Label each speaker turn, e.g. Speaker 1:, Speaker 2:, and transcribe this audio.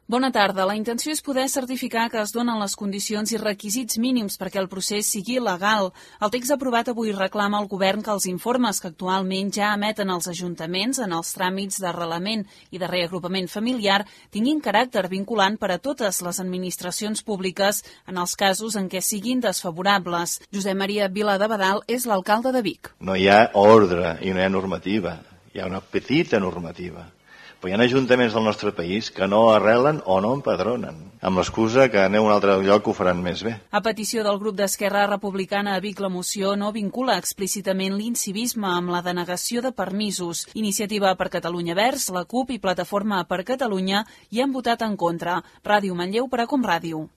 Speaker 1: Bona tarda. La intenció és poder certificar que es donen les condicions i requisits mínims perquè el procés sigui legal. El text aprovat avui reclama al govern que els informes que actualment ja emeten els ajuntaments en els tràmits d'arrelament i de reagrupament familiar tinguin caràcter vinculant per a totes les administracions públiques en els casos en què siguin desfavorables. Josep Maria Viladebadal és l'alcalde de Vic.
Speaker 2: No hi ha ordre i no hi ha normativa. Hi ha una petita normativa. Però hi ha ajuntaments del nostre país que no arrelen o no empadronen, amb l'excusa que aneu a un altre lloc que ho faran més bé.
Speaker 1: A petició del grup d'Esquerra Republicana a Vic, la moció no vincula explícitament l'incivisme amb la denegació de permisos. Iniciativa per Catalunya Verds, la CUP i Plataforma per Catalunya hi han votat en contra. Ràdio Manlleu per a Com Ràdio.